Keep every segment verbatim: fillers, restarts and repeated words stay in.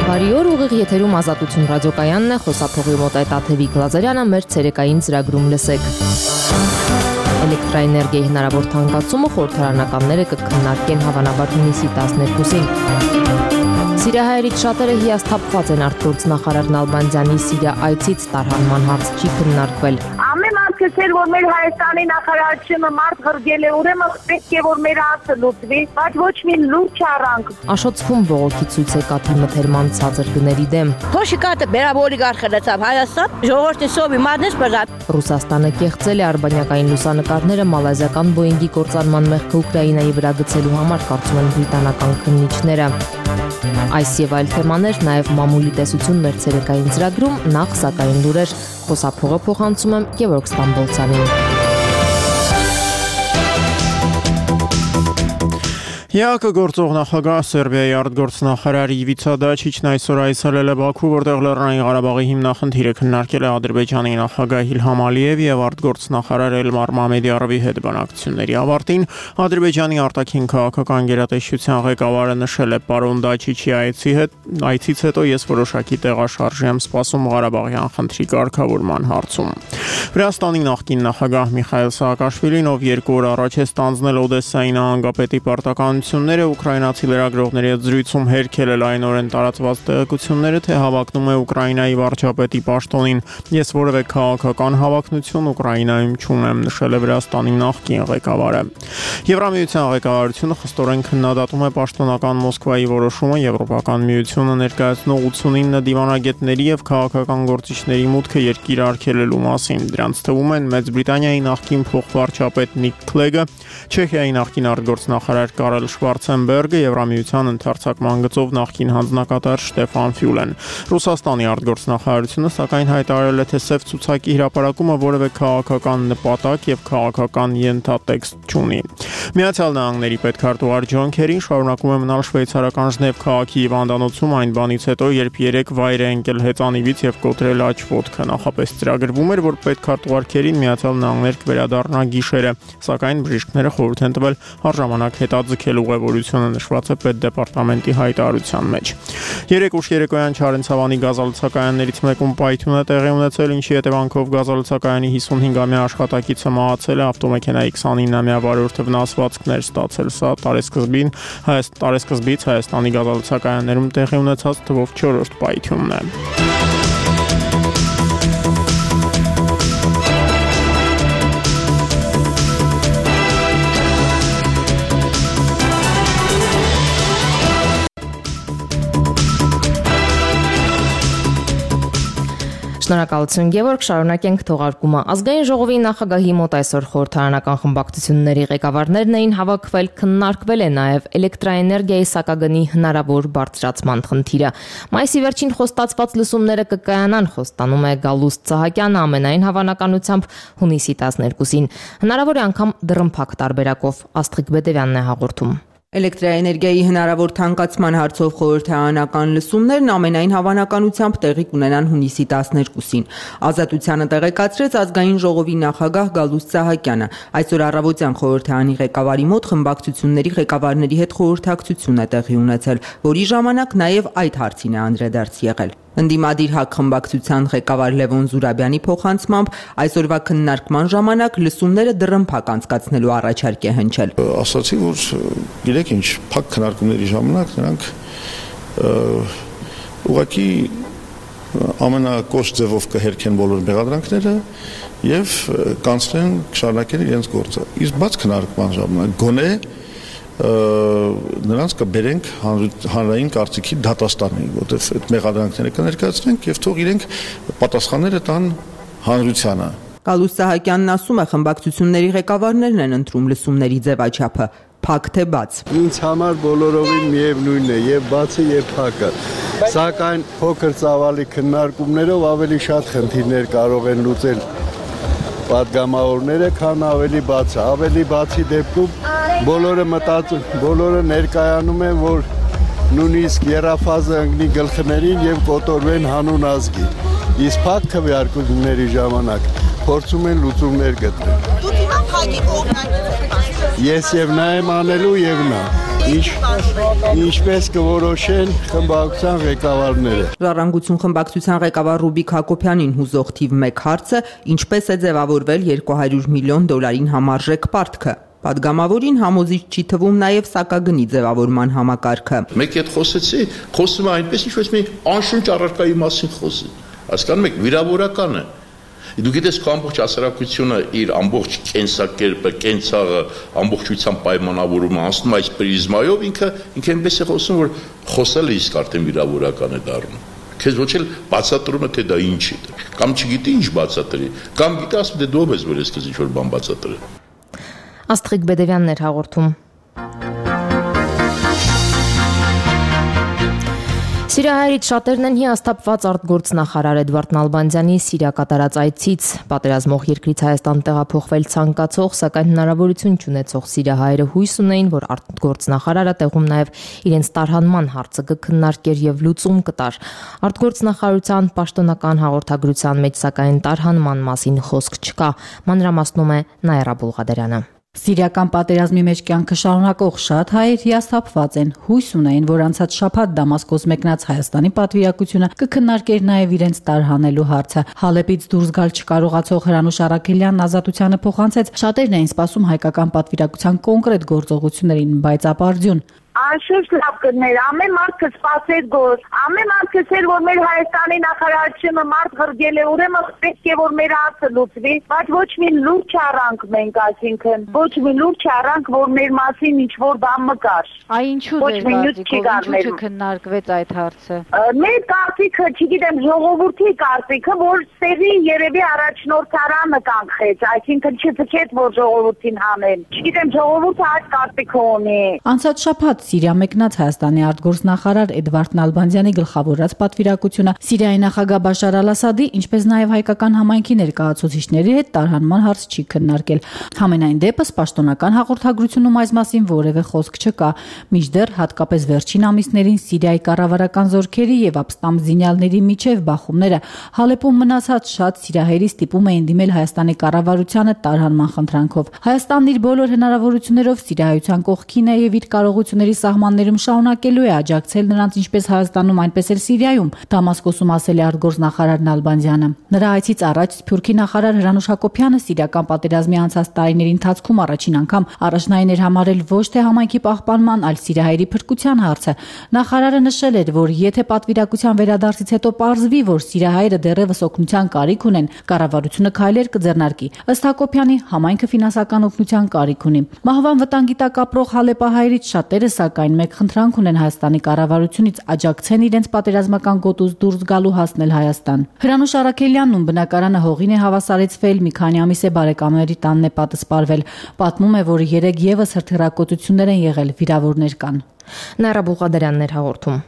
Բարի օր, ուղիղ եթերում Ազատություն ռադիոկայանն է, խոսափողի մոտ է Տաթևիկ Լազարյանը, մեր ցերեկային ծրագրում լսեք։ Էլեկտրաէներգիայի հնարավոր թանկացումը խորհրդարանականները կքննարկեն հավանաբար հունիսի տասներկուսին։ Սիրիահայերից շատերը հիասթափված են արտգործնախարար Նալբանդյանի Սիրիա այցից տարհանման հարց չի քննարկվել։ Ամեն մարդը չէր, որ մեր Հայաստանի նախարարությունը մարդ ղրգել է, ուրեմն պետք է որ մեր հարցը լուծվի, բայց ոչ մի լուրջ չառանք։ Աշոտսկում բողոքի ցույց է կաթի մթերման ցածր գների դեմ։ Փոշիկատը բերավ օլիգարխը լցավ Հայաստան, ժողովրդի սովի մադնես բրատ։ Ռուսաստանը կեղծել է արբանյակային լուսանկարները մալազիական Boeing-ի կործանման մեղքը Ուկրաինայի վրա գցելու համար, կարծում են բրիտանական քննիչները։ Այս եւ այլ թեմաներ, նաեւ մամուլի տեսություն մեր ցերեկային ծրագրում, նախ սակայն լուրեր, խոսափողը փոխանցում եմ Գևորգ Ստամբոլցյանին։ ԵԱԿ գործող նախագահ Սերբիայի արտգործնախարար Իվիցա Դաչիչն այսօր այցելել է Բաքու, որտեղ Լեռնային Ղարաբաղի հիմնախնդիրը քննարկել է Ադրբեջանի նախագահ Իլհամ Ալիևի եւ արտգործնախարար Էլմար Մամեդիարովի հետ բանակցությունների ավարտին Ադրբեջանի արտաքին քաղաքական գերատեսչության ղեկավարը նշել է պարոն Դաչիչի այցի հետ այցից հետո ես որոշակի տեղաշարժ եմ սպասում Ղարաբաղյան խնդրի կարգավորման հարցում։ Վրաստանի նախկին նախագահ Միխայել Սաակաշվիլին, ով երկու օր առաջ է ստանձնել Օդեսայի նահանգապետի պարտականությունները, ուկրաինացի լրագրողների հետ զրույցում հերքել է լայնորեն տարածված տեղեկությունները, թե հավակնում է Ուկրաինայի վարչապետի պաշտոնին։ Ես որևէ քաղաքական հավակնություն Ուկրաինայում չունեմ, նշել է Վրաստանի նախկին ղեկավարը։ Եվրամիության ղեկավարությունը խստորեն քննադատում է պաշտոնական Մոսկվայի որոշումը Եվրոպական միությունը ներկայացնող ութսունինը դիվանագետների եւ քաղաքական գործիչների մուտքը երկիր արգելելու մասին։ Դրանց թվում են Մեծ Բրիտանիայի նախկին փոխվարչապետ Նիկ Քլեգը, Չեխիայի նախկին արտգործնախարար Կարել Շվարցենբերգը, Եվրամիության ընդարձակման գծով նախկին հանձնակատար Շտեֆան Ֆյուլեն։ Ռուսաստանի արտգործնախարարությունը սակայն հայտարարել է, թե սև ցուցակի հրապարակումը որևէ քաղաքական նպատակ եւ քաղաքական ենթատեքստ չունի։ Միացյալ Նահանգների պետքարտուղար Ջոն Քերին շարունակում է մնալ շվեյցարական Ժնև քաղաքի հիվանդանոցում այն բանից հետո, երբ երեք վայր է ընկել հեծանիվից եւ կոտրել աջ ոտքը։ Նախապես ծրագրվում էր, որ պետքարտուղար Քերին Միացյալ Նահանգներ կվերադառնա գիշերը, սակայն բժիշկները խորհուրդ են տվել առժամանակ հետաձգել ուղևորությունը, նշված է պետդեպարտամենտի հայտարարության մեջ։ Երեք ուշ երեկոյան Չարենցավանի գազալցակայաններից մեկում պայթյուն է տեղի ունեցել, ինչի հետևանքով գազալցակայանի հիսունհինգամյա աշխատակիցը մահացել է, ավտոմեքենայի քսանինամյա վարորդը վնասվածքներ ստացել։ Սա տարեսկզբին տարեսկզբից Հայաստանի գազալցակայաններում տեղի ունեցած թվով չորրորդ պայթյունն է։ Շնորհակալություն Գևորգ, շարունակենք թողարկումը։ Ազգային ժողովի նախագահի մոտ այսօր խորհրդարանական խմբակցությունների ղեկավարներն էին հավաքվել, քննարկվել է նաև էլեկտրաէներգիայի սակագնի հնարավոր բարձրացման խնդիրը։ Մայիսի վերջին խոստացված լսումները կկայանան, խոստանում է Գալուստ Սահակյանը, ամենայն հավանականությամբ հունիսի տասներկուսին։ Հնարավոր է անգամ դռնփակ տարբերակով, Աստղիկ Բեդևյանն է հաղորդում։ Էլեկտրաէներգիայի հնարավոր թանկացման հարցով խորհրդարանական լսումներն ամենայն հավանականությամբ տեղի կունենան հունիսի տասներկուսին։ Ազատությանը տեղեկացրեց ազգային ժողովի նախագահ Գալուստ Սահակյանը։ Այսօր առավոտյան խորհրդարանի ղեկավարի մոտ խմբակցությունների ղեկավարների հետ խորհրդակցություն է տեղի ունեցել, որի ժամանակ նաև այդ հարցին է անդրադարձ եղել։ Ընդդիմադիր ՀԱԿ խմբակցության ղեկավար Լևոն Զուրաբյանի փոխանցմամբ այսօրվա քննարկման ժամանակ լսումները դռնփակ անցկացնելու առաջարկ է հնչել։ Ասացի, որ գիտեք ինչ, փակ քննարկումների ժամանակ նրանք ուղղակի ամենակոշտ ձևով կհերքեն բոլոր մեղադրանքները եւ կանցնեն շարունակեն իրենց գործը։ Իսկ բաց քննարկման ժամանակ գոնե նրանց կբերենք հանրային կարծիքի դատաստանին, որտեղ այդ մեղադրանքները կներկայացնենք եւ թող իրենք պատասխանները տան հանրությանը։ Գալուստ Սահակյանն ասում է, խմբակցությունների ղեկավարներն են ընտրում լսումների ձևաչափը, փակ թե բաց։ Ինձ համար բոլորովին միևնույնն է, եւ բացը եւ փակը։ Սակայն փոքր ծավալի քննարկումներով ավելի շատ խնդիրներ կարող են լուծել պատգամավորները, քան ավելի բացը։ Ավելի բացի դեպքում բոլորը մտածում, բոլորը ներկայանում են, որ նույնիսկ երաֆազը ընկնի գլխներին եւ կոտորվեն հանուն ազգի։ Իսկ փակ քվեարկությունների ժամանակ փորձում են լուծումներ գտնել։ Դուք հիմա փակի կողմնակից եք։ Ես եւ նա եմ անելու եւ նա։ Ինչպես կորոշեն խմբակցության ղեկավարները։ Ժառանգություն խմբակցության ղեկավար Ռուբիկ Հակոբյանին հուզող թիվ մեկ հարցը ինչպես է ձևավորվել երկու հարյուր միլիոն դոլարին համարժեք պարտքը։ Պատգամավորին համոզիչ չի թվում նաև սակագնի ձևավորման համակարգը։ Մեկ հետ խոսեցի, խոսում է այնպես ինչպես մի անշունչ առարկայի մասին խոսի։ Հասկանում եք, վիրավորական է։ Դու գիտես քո ամբողջ հասարակությունը իր ամբողջ կենսակերպը, կենցաղը, ամբողջությամբ պայմանավորումը անցնում այս պրիզմայով, ինքը ինքը այնպես է խոսում, որ խոսելը իսկ արդեն վիրավորական է դառնում։ Քեզ ոչ էլ բացատրում է թե դա ինչ է, կամ չգիտի ինչ բացատրի, կամ գիտի ասում դե դու ով ես որ ես քեզ ինչ որ բան բացատրի։ Աստղիկ Բեդևյանն էր հաղորդում։ Սիրիայից շատերն են հիասթափված արտգործնախարար Էդվարդ Նալբանդյանի Սիրիա կատարած այցից։ Պատերազմող երկրից Հայաստան տեղափոխվել ցանկացող, սակայն հնարավորություն չունեցող սիրիահայերը հույս ունեին, որ արտգործնախարարը տեղում նաև իրենց տարհանման հարցը կքննարկեր եւ լուծում կտար։ Արտգործնախարարության պաշտոնական հաղորդագրության մեջ սակայն տարհանման մասին խոսք չկա, մանրամասնում է Նաիրա Բուլղադարյանը։ Սիրիական պատերազմի մեջ կյանքը շարունակող շատ հայեր հիասթափված են, հույս ունեին, որ անցած շաբաթ Դամասկոս մեկնած Հայաստանի պատվիրակությունը կքննարկեր նաև իրենց տարհանելու հարցը։ Հալեպից դուրս գալ չկարողացող Հրանուշ Արաքելյանն ազատությանը փոխանցեց, շատերն էին սպասում հայկական պատվիրակության կոնկրետ գործողություններին, բայց ապարդյուն։ Անշուշտ լավ կներ, ամեն մարդ կսպասեր գործ, ամեն մարդ կսեր, որ մեր Հայաստանի նախարարությունը մարդ ղրգել է, ուրեմն պետք է որ մեր հարցը լուծվի, բայց ոչ մի լուրջ առանք մենք, այսինքն ոչ մի լուրջ առանք, որ մեր մասին ինչ որ բան մկար։ Այ ինչու դեր քննարկվեց այդ հարցը։ Մեր կարծիքը, չգիտեմ, ժողովրդի կարծիքը, որ սերի երևի առաջնորդարանը կանխեց, այսինքն չփքեց, որ ժողովրդին հանեն։ Չգիտեմ, ժողովուրդը այդ կարծիքը ունի։ Անցած շաբաթ Սիրիա մեկնած Հայաստանի արտգործնախարար Էդվարդ Նալբանդյանի գլխավորած պատվիրակությունը Սիրիայի նախագահ Բաշար Ալ-Ասադի, ինչպես նաև հայկական համայնքի ներկայացուցիչների հետ տարհանման հարց չի քննարկել։ Համենայն դեպս պաշտոնական հաղորդագրությունում այս մասին որևէ խոսք չկա։ Մինչդեռ հատկապես վերջին ամիսներին Սիրիայի կառավարական զորքերի եւ ապստամբ զինյալների միջև բախումները Հալեպում մնացած շատ սիրիահայերի ստիպում էին դիմել Հայաստանի կառավարությանը տարհանման խնդրանքով։ Հայաստանն իր բոլոր հնարավորություններով Սիրիայության կողքին է եւ իր կարողությունների սահմաններում շարունակելու է աջակցել նրանց ինչպես Հայաստանում, այնպես էլ Սիրիայում, Դամասկոսում ասել է արտգործնախարար Նալբանդյանը։ Նրա այցից առաջ Սփյուռքի նախարար Հրանուշ Հակոբյանը Սիրիական պատերազմի անցած տարիների ընթացքում առաջին անգամ առաջնային էր համարել ոչ թե համայնքի պահպանման, այլ սիրիահայերի փրկության հարցը։ Նախարարը նշել էր, որ եթե պատվիրակության վերադարձից հետո պարզվի, որ սիրիահայերը դեռևս օգնության կարիք ունեն, կառավարությունը քայլեր կձեռնարկի։ Ըստ Հակոբյանի, համայնքը ֆինանսական օգնության կարիք ունի։ Մահվան վտանգի տակ ապրող հալեպահայերից շատերը սակայն մեկ խնդրանք ունեն Հայաստանի կառավարությունից աջակցեն իրենց պատերազմական գոտուց դուրս գալու հասնել Հայաստան։ Հրանուշ Արաքելյանն ում բնակարանը հողին է հավասարեցվել, մի քանի ամիս է բարեկամների տանն է պատսպարվել։ Պատմում է, որ երեք եւս հրթիռակոծություններ են եղել, վիրավորներ կան։ Նաիրա Բուլղադարյանն էր հաղորդում։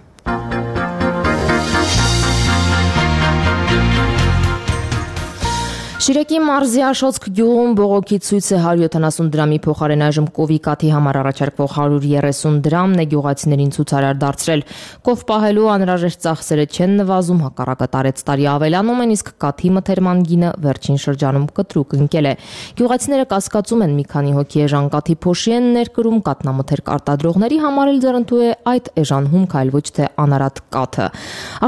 Շիրեկի մարզի Աշոցք գյուղում բողոքի ցույց է հարյուր յոթանասուն դրամի փոխարեն այժմ կովի կաթի համար առաջարկվող հարյուր երեսուն դրամն է գյուղացիներին ցուցարար դարձրել։ Կով պահելու անհրաժեշտ ծախսերը չեն նվազում, հակառակը տարեց տարի ավելանում են, իսկ կաթի մթերման գինը վերջին շրջանում կտրուկ ընկել է։ Գյուղացիները կասկածում են, մի քանի հոգի էժան կաթի փոշի են ներկրում, կատնամթերք արտադրողների համար էլ ձեռնտու է այդ էժան հումք, այլ ոչ թե անարատ կաթը։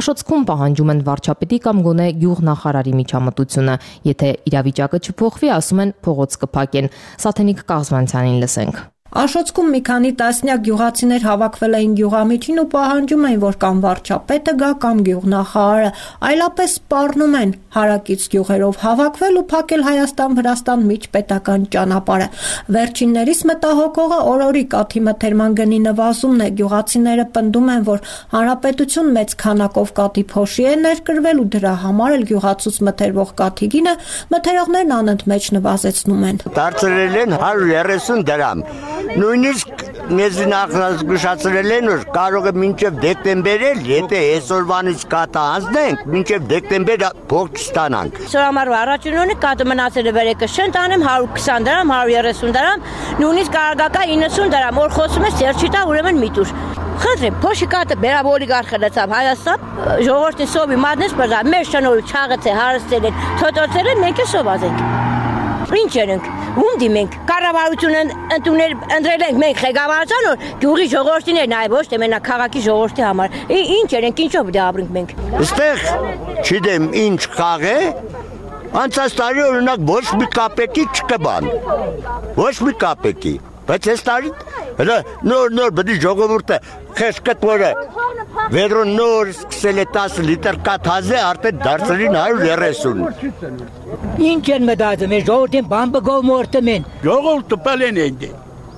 Աշոցքում պահանջում են վարչապետի կամ գոնե գյուղնախարարի միջամտությունը։ Եթե իրավիճակը չփոխվի, ասում են փողոց կփակեն։ Սաթենիկ Կաղզմանցյանին լսենք։ Աշոցքում մի քանի տասնյակ գյուղացիներ հավաքվել էին գյուղամիջին ու պահանջում էին, որ կամ վարչապետը գա, կամ գյուղնախարարը, այլապես սպառնում են հարակից գյուղերով հավաքվել ու փակել Հայաստան-Վրաստան միջպետական ճանապարհը։ Վերջիններիս մտահոգողը օրորի կաթի մթերման գնի նվազումն է։ Գյուղացիները պնդում են, որ հանրապետություն մեծ քանակով կաթի փոշի է ներկրվել ու դրա համար էլ գյուղացուց մթերվող կաթի գինը մթերողներն անընդմեջ նվազեցնում են։ Դարձրել են հարյուր երեսուն դրամ։ Նույնիսկ մեզ նախազգուշացրել են, որ կարող է մինչև դեկտեմբեր էլ, եթե այսօրվանից կաթը անցնենք, մինչև դեկտեմբեր փող չստանանք։ Սորամարու առաջինունի կաթը մնացել է վերեկը շեն տանեմ հարյուր քսան դրամ, հարյուր երեսուն դրամ, նույնիսկ կարագակա իննսուն դրամ, որ խոսում է սերչիտա ուրեմն միտուր։ Խնդրեմ, փոշի կաթը բերավ օլիգարխը լցավ Հայաստան, ժողովրդի սովի մատնես բրզա, մեր շնորհ չաղացե հարստել են, թոտոցել են, մենք է սոված ենք։ Ինչ ենք, ում դիմենք, կառավարությունը ընդունել ընտրել ենք մենք ղեկավարության որ գյուղի ժողովրդին է նաև ոչ թե մենակ քաղաքի ժողովրդի համար։ Ինչ ենք, ինչով դե ապրենք մենք։ Այստեղ չգիտեմ ինչ խաղ է, անցած տարի օրինակ ոչ մի կապեկի չկբան։ Ոչ մի կապեկի, բայց այս տարի նոր նոր բդի ժողովուրդը խեղճ որը Վերոն նոր սկսել է տասը լիտր կաթազե արդեն դարձրին հարյուր երեսուն։ Ինչ են մտածում, ժողովրդին բան բգով մորտում են։ Ժողովուրդը պալեն են դե,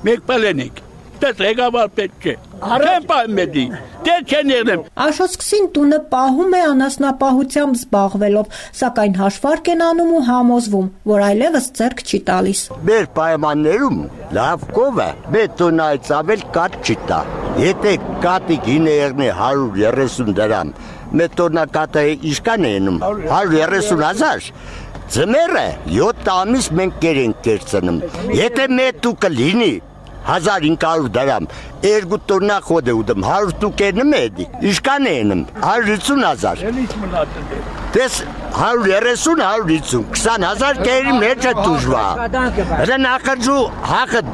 մեկ պալեն ենք, դες ղեկավար պետք է, չեն պահում մեդի, դե չեն եղնեմ։ Աշոտսկսին տունը պահում է անասնապահությամբ զբաղվելով, սակայն հաշվարկ են անում ու համոզվում, որ այլևս ձեռք չի տալիս։ Մեր պայմաններում լավ կովը, բետոնայից ավել կատ չի տա։ Եթե կատի գինը եղնի հարյուր երեսուն դրամ, մեր տորնակատը իշկան է ենում, հարյուր երեսուն հազար, ձմերը յոթ ամիս մենք կեր ենք կերծնում, եթե մեր տուկը լինի, հազար հինգ հարյուր դրամ, երկու տորնա խոդ է ուդում, հարյուր տուկ էնում է էդի, իշկան է էնում, հարյուր հիսուն հազար, դες հարյուր երեսուն, հարյուր հիսուն, քսան հազար կերի մեջ է դուժվա, հրը նախրջու հախը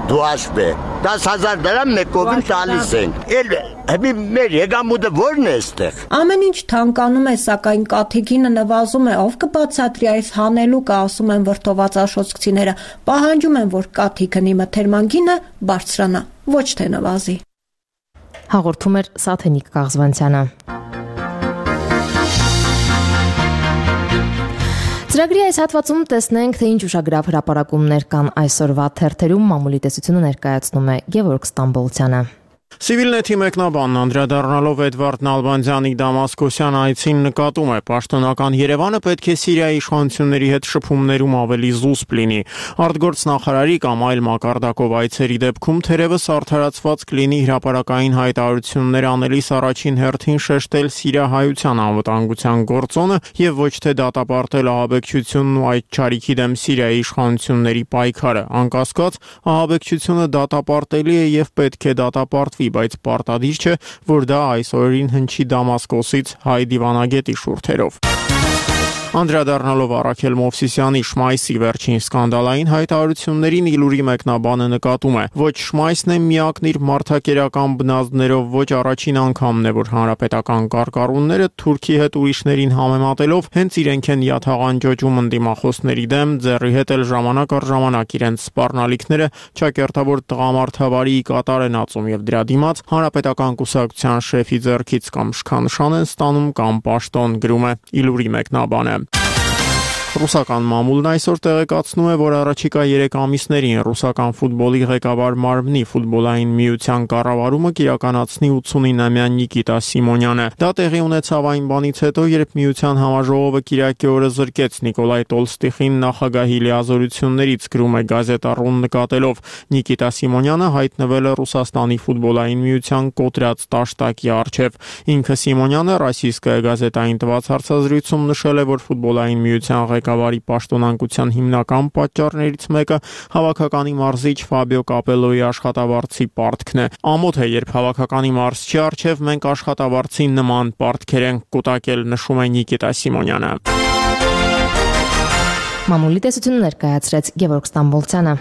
դու աշպ է, դաս հազար դրամ մեկովին տալիս ենք, էլ հմի մեր եգամուդը որն է ստեղ։ Ամեն ինչ թանկանում է, սակայն կաթիքինը նվազում է, ով կբացատրի այս հանելուկը, ասում են վրդոված աշոտսկցիները, պահանջում են, որ կաթիքնի մթերման գինը բարձրանա, ոչ թե նվազի։ Հաղորդում էր Սաթենիկ Կաղզվանցյանը։ Ծրագրի այս հատվածում տեսնենք, թե ինչ ուշագրավ հրապարակումներ կան այսօրվա թերթերում, մամուլի տեսությունը ներկայացնում է Գևորգ Ստամբոլցյանը։ Civilnet-ի մեկնաբանն անդրադառնալով Էդվարդ Նալբանդյանի Դամասկոսյան այցին նկատում է, պաշտոնական Երևանը պետք է Սիրիայի իշխանությունների հետ շփումներում ավելի զուսպ լինի։ Արտգործնախարարի կամ այլ մակարդակով այցերի դեպքում թերևս արդարացված կլինի հրապարակային հայտարարություններ անելիս առաջին հերթին շեշտել սիրիահայության անվտանգության գործոնը եւ ոչ թե դատապարտել ահաբեկչությունն ու այդ չարիքի դեմ Սիրիայի իշխանությունների պայքարը։ Անկասկած, ահաբեկչությունը դատապարտելի է եւ պետք է դատապարտվի, բայց պարտադիր չէ, որ դա այս օրերին հնչի Դամասկոսից հայ դիվանագետի շուրթերով։ Անդրադառնալով Արաքել Մովսիսյանի Շմայսի վերջին սկանդալային հայտարարություններին Իլուրի մեկնաբանը նկատում է. ոչ Շմայսն է միակն իր մարդակերական բնազդներով, ոչ առաջին անգամն է, որ հանրապետական կարկառունները Թուրքի հետ ուրիշներին համեմատելով հենց իրենք են յաթաղանջոջում ընդդիմախոսների դեմ, ձեռի հետ էլ ժամանակ առ ժամանակ իրենց սպառնալիքները ճակերտավոր տղամարդավարի կատար են ածում եւ դրա դիմաց հանրապետական կուսակցության շեֆի ձեռքից կամ շքանշան են ստանում կամ պաշտոն, գրում է Իլուրի մեկնաբանը։ Ռուսական մամուլն այսօր տեղեկացնում է, որ առաջիկա երեք ամիսներին ռուսական ֆուտբոլի ղեկավար մարմնի ֆուտբոլային միության կառավարումը կիրականացնի ութսունինամյա Նիկիտա Սիմոնյանը։ Դա տեղի ունեցավ այն բանից հետո, երբ միության համաժողովը կիրակի օրը զրկեց Նիկոլայ Տոլստիխին նախագահի լիազորություններից, գրում է Գազետա.ru-ն նկատելով։ Նիկիտա Սիմոնյանը հայտնվել է Ռուսաստանի ֆուտբոլային միության կոտրած տաշտակի առջև։ Ինքը Սիմոնյանը Ռոսիյսկայա գազետային տված հարցազրույցում նշել է, որ ֆուտբոլային միության ղեկավարի պաշտոնանկության հիմնական պատճառներից մեկը հավաքականի մարզիչ Ֆաբիո Կապելոյի աշխատավարձի պարտքն է։ Ամոթ է, երբ հավաքականի մարզչի առջև մենք աշխատավարձի նման պարտքեր ենք կուտակել, նշում է Նիկիտա Սիմոնյանը։ Մամուլի տեսությունը ներկայացրեց Գևորգ Ստամբոլցյանը։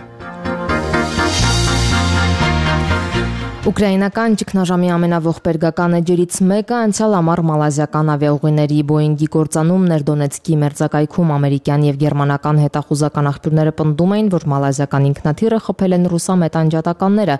Ուկրաինական ճգնաժամի ամենաողբերգական էջերից մեկը անցյալ ամառ մալազիական ավիաուղիների Boeing-ի կործանումն էր Դոնեցկի մերձակայքում ամերիկյան եւ գերմանական հետախուզական աղբյուրները պնդում էին, որ մալազիական ինքնաթիռը խփել են ռուսամետ անջատականները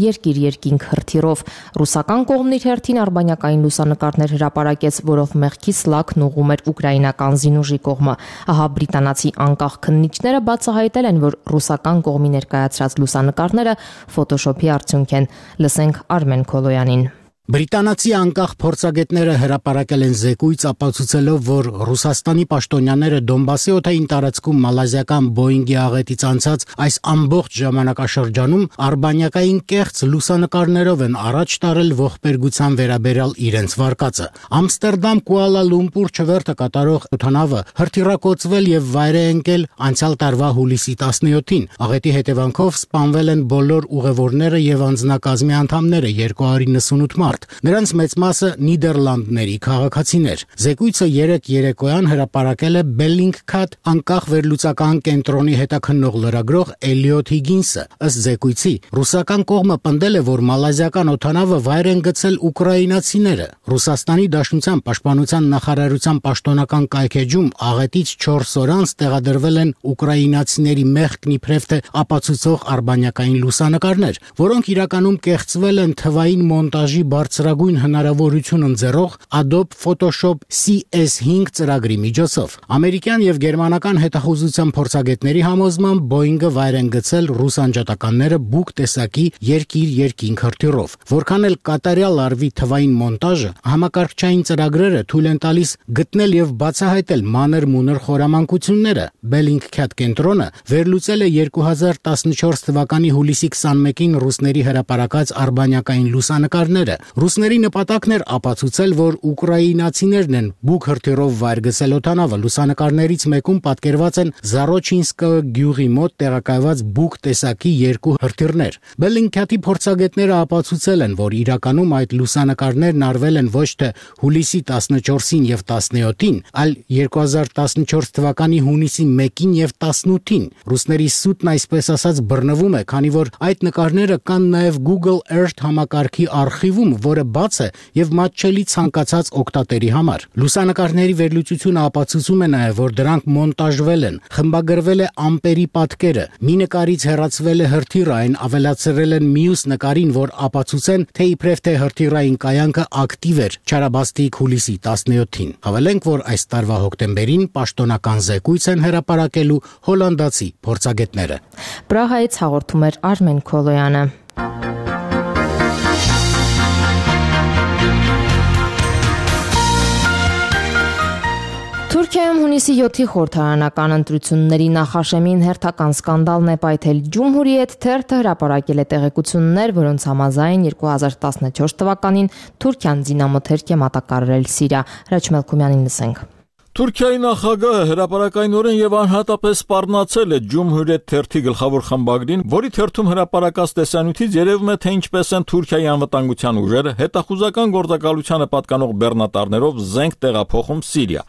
երկիր-երկինք հրթիռով։ Ռուսական կողմն իր հերթին արբանյակային լուսանկարներ հրապարակեց, որով մեղքի սլաքն ուղում էր ուկրաինական զինուժի կողմը։ Ահա բրիտանացի անկախ քննիչները բացահայտել են, որ ռուսական կողմի ներկայացրած լուսանկարները ֆոտոշոփի արդյունք են։ Լսենք Արմեն Քոլոյանին։ Բրիտանացի անկախ փորձագետները հրապարակել են զեկույց ապացուցելով, որ Ռուսաստանի պաշտոնյաները Դոնբասի օդային տարածքում մալազիական Boeing-ի աղետից անցած այս ամբողջ ժամանակաշրջանում արբանյակային կեղծ լուսանկարներով են առաջ տարել ողբերգության վերաբերյալ իրենց վարկածը։ Ամստերդամ Կուալա Լումպուր չվերթը կատարող օդանավը հրթիռակոծվել եւ վայր է ընկել անցյալ տարվա հուլիսի տասնյոթին։ Աղետի հետևանքով սպանվել են բոլոր ուղևորները եւ անձնակազմի անդամները երկու հարյուր նվսունութ մարդ։ մարդ։ Նրանց մեծ մասը Նիդերլանդների քաղաքացիներ։ Զեկույցը երեկ երեկոյան հրապարակել է Bellingcat անկախ վերլուծական կենտրոնի հետաքննող լրագրող Էլիոթ Հիգինսը։ Ըստ զեկույցի, ռուսական կողմը պնդել է, որ մալազիական օդանավը վայր են գցել ուկրաինացիները։ Ռուսաստանի Դաշնության պաշտպանության նախարարության պաշտոնական կայքեջում աղետից չորս օր անց տեղադրվել են ուկրաինացիների մեղքն իբրև թե ապացուցող արբանյակային լուսանկարներ, որոնք իրականում կեղծվել են թվային մոնտաժի բարձրագույն հնարավորություն ընձեռող Adobe Photoshop C S five ծրագրի միջոցով։ Ամերիկյան եւ գերմանական հետախուզության փորձագետների համոզմամբ Boeing-ը վայր են գցել ռուս անջատականները բուկ տեսակի երկիր-երկինք հրթիռով։ Որքան էլ կատարյալ արվի թվային մոնտաժը, համակարգչային ծրագրերը թույլ են տալիս գտնել եւ բացահայտել մանր-մունր խորամանկությունները։ Bellingcat կենտրոնը վերլուծել է երկու հազար տասնչորս թվականի հուլիսի քսանմեկին ռուսների հրապարակած արբանյակային լուսանկարները։ Ռուսների նպատակն էր ապացուցել, որ ուկրաինացիներն են բուկ հրթիռով վայր գցել օդանավը։ Լուսանկարներից մեկում պատկերված են Զարոչինսկը գյուղի մոտ տեղակայված բուկ տեսակի երկու հրթիռներ։ Bellingcat-ի փորձագետները ապացուցել են, որ իրականում այդ լուսանկարներն արվել են ոչ թե հուլիսի տասնչորսին եւ տասնյոթին, այլ երկու հազար տասնչորս թվականի հունիսի մեկին եւ տասնութին։ Ռուսների սուտն այսպես ասած բռնվում է, քանի որ այդ նկարները կան նաեւ Google Earth համակարգի արխիվում, որը բաց է եւ մատչելի ցանկացած օգտատերի համար։ Լուսանկարների վերլուծությունը ապացուցում է նաեւ, որ դրանք մոնտաժվել են, խմբագրվել է ամպերի պատկերը։ Մի նկարից հեռացվել է հրթիռը, այն ավելացրել են մյուս նկարին, որ ապացուցեն, թե իբրև թե հրթիռային կայանքը ակտիվ էր չարաբաստիկ հուլիսի տասնյոթին։ Հավելենք, որ այս տարվա հոկտեմբերին պաշտոնական զեկույց են հրապարակելու հոլանդացի փորձագետները։ Պրահայից հաղորդում էր Արմեն Քոլոյանը։ Թուրքիայում հունիսի յոթի խորհրդարանական ընտրությունների նախաշեմին հերթական սկանդալն է պայթել։ Ջումհուրիեթ թերթը հրապարակել է տեղեկություններ, որոնց համաձայն երկու հազար տասնչորս թվականին Թուրքիան զինամթերք է մատակարարել Սիրիա։ Հրաչ Մելքումյանին լսենք։ Թուրքիայի նախագահը հրապարակայնորեն եւ անհատապես սպառնացել է Ջումհուրիեթ թերթի գլխավոր խմբագրին, որի թերթում հրապարակած տեսանյութից երևում է, թե ինչպես են Թուրքիայի անվտանգության ուժերը հետախուզական գործակալությանը պատկանող բեռնատարներով զենք տեղափոխում Սիրիա։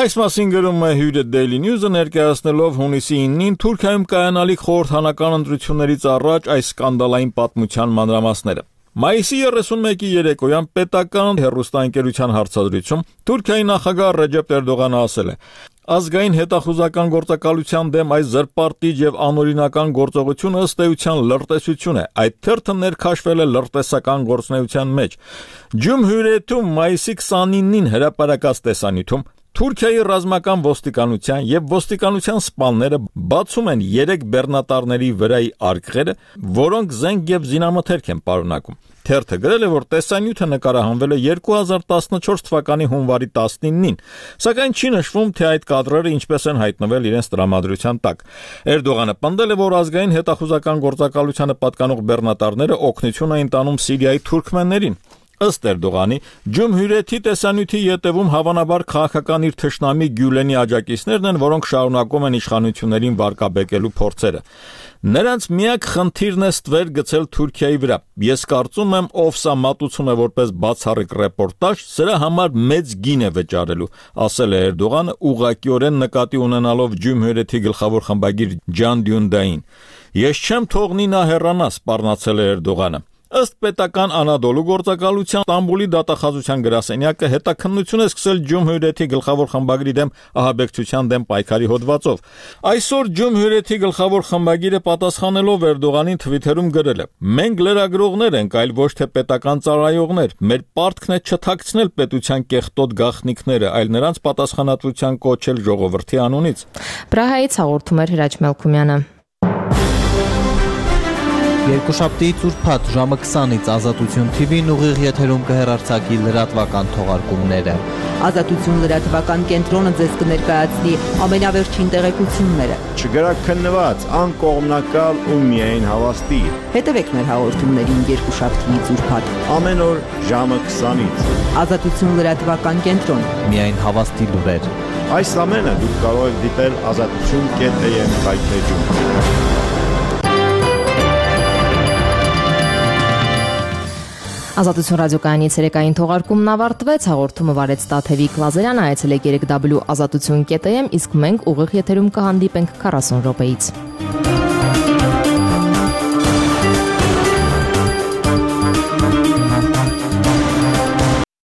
Այս մասին գրում է հյուրը Daily News-ը, ներկայացնելով հունիսի իննին Թուրքիայում կայանալիք խորհրդարանական ընտրություններից առաջ այս սկանդալային պատմության մանրամասները։ Մայիսի երեսունմեկի երեկոյան պետական հեռուստաընկերության հարցազրույցում Թուրքիայի նախագահ Ռեջեփ Էրդողանը ասել է. Ազգային հետախուզական գործակալության դեմ այս զրպարտիչ եւ անօրինական գործողությունը ըստ էության լրտեսություն է։ Այդ թերթը ներքաշվել է լրտեսական գործունեության մեջ։ Ջումհուրիեթում մայիսի քսանինին հրապարակած տեսանյութում Թուրքիայի ռազմական ոստիկանության եւ ոստիկանության սպաները բացում են երեք բեռնատարների վրայի արկղերը, որոնք զենք եւ զինամթերք են պարունակում։ Թերթը գրել է, որ տեսանյութը նկարահանվել է երկու հազար տասնչորս թվականի հունվարի տասնինին, սակայն չի նշվում, թե այդ կադրերը ինչպես են հայտնվել իրենց տրամադրության տակ։ Էրդողանը պնդել է, որ ազգային հետախուզական գործակալությանը պատկանող բեռնատարները օգնություն էին տանում Սիրիայի թուրքմեններին։ Ըստ Էրդողանի, Ջումհուրիեթի տեսանյութի ետևում հավանաբար քաղաքական իր թշնամի Գյուլենի աջակիցներն են, որոնք շարունակում են իշխանություններին վարկաբեկելու փորձերը։ Նրանց միակ խնդիրն է ստվեր գցել Թուրքիայի վրա։ Ես կարծում եմ, ով սա մատուցում է որպես բացառիկ ռեպորտաժ, սրա համար մեծ գին է վճարելու, ասել է Էրդողանը, ուղղակիորեն նկատի ունենալով Ջումհուրիեթի գլխավոր խմբագիր Ջան Դյունդային։ Ես չեմ թողնի նա հեռանա, սպառնացել է Էրդողանը։ Ըստ պետական Անադոլու գործակալության Ստամբուլի դատախազության գրասենյակը հետաքննություն է սկսել Ջումհուրիեթի գլխավոր խմբագրի դեմ ահաբեկչության դեմ պայքարի հոդվածով։ Այսօր Ջումհուրիեթի գլխավոր խմբագիրը պատասխանելով Էրդողանին Թվիթերում գրել է. Մենք լրագրողներ ենք, այլ ոչ թե պետական ծառայողներ։ Մեր պարտքն է չթաքցնել պետության կեղտոտ գաղտնիքները, այլ նրանց պատասխանատվության կոչել ժողովրդի անունից։ Պրահայից հաղորդում էր Հրաչ Մելքումյանը։ Երկուշաբթի ծուրփաթ ժամը քսանից Ազատություն թի վին ուղիղ եթերում կհեռարձակի լրատվական թողարկումները։ Ազատություն լրատվական կենտրոնը ձեզ կներկայացնի ամենավերջին տեղեկությունները։ Չգրաքննված, անկողմնակալ ու միայն հավաստի։ Հետևեք մեր հաղորդումներին երկուշաբթի ծուրփաթ ամեն օր ժամը քսանից։ Ազատություն լրատվական կենտրոն։ Միայն հավաստի լուրեր։ Այս ամենը դուք կարող եք դիտել ազատություն կետ է եմ կայքեջում։ Ազատություն ռադիոկայանի ցերեկային թողարկումն ավարտվեց, հաղորդումը վարեց Տաթևիկ Լազարյանը, այցելեք երեք w ազատություն կետ am, իսկ մենք ուղիղ եթերում կհանդիպենք քառասուն րոպեից։